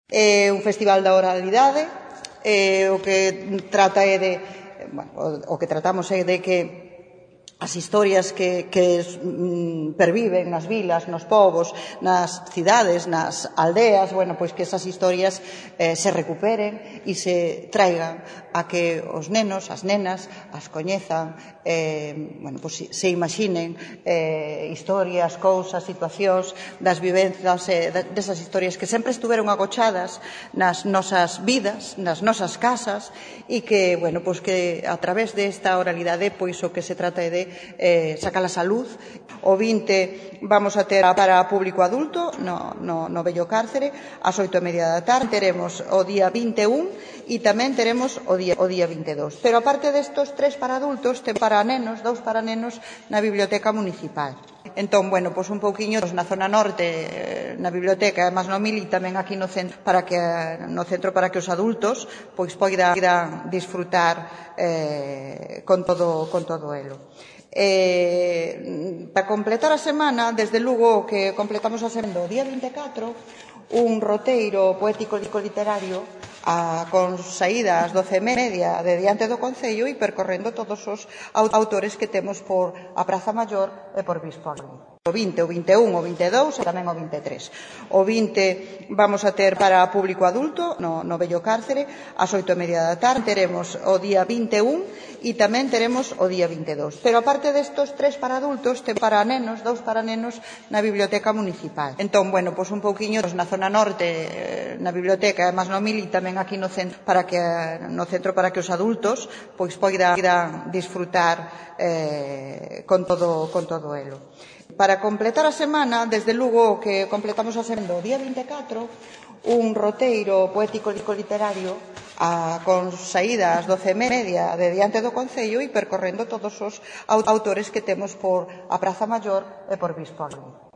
Un festival da oralidade, o que trata é de, o que tratamos é de que as historias que perviven nas vilas, nos povos, nas cidades, nas aldeas, pois que esas historias se recuperen e se traigan a que os nenos, as nenas, as coñezan, pois se imaginen historias, cousas, situacións das vivenzas, desas historias que sempre estuveron agochadas nas nosas vidas, nas nosas casas e que, pois que a través desta oralidade, pois o que se trata é de sacalas a luz. O 20 vamos a ter para público adulto no Vello Cárcere ás 8:30 da tarde. Teremos o día 21 e tamén teremos o día 22. Pero aparte destos 3 para adultos, ten para nenos, 2 para nenos na Biblioteca Municipal. Entón, pois un pouquiño na zona norte, na biblioteca, además no Mili, tamén aquí no centro para que os adultos pois poidan disfrutar con todo elo. Para completar a semana, desde Lugo, que completamos a semana o día 24, un roteiro poético literario con saída ás 12:30 de diante do Concello e percorrendo todos os autores que temos por a Praza Maior e por Bispóligo. O 20, o 21, o 22 e tamén o 23. O 20 vamos a ter para público adulto no Vello Cárcere ás 8:30 da tarde. Teremos o día 21 e tamén teremos o día 22. Pero aparte destos 3 para adultos, ten para nenos, 2 para nenos na Biblioteca Municipal. Entón, pois un pouquiño na zona norte, na biblioteca, además no Mili, tamén aquí no centro para que os adultos pois poidan disfrutar con todo elo. Para completar a semana, desde Lugo, que completamos a semana o día 24, un roteiro poético literario con saída ás 12:30 de diante do Concello e percorrendo todos os autores que temos por a Praza Maior e por Bispóligo.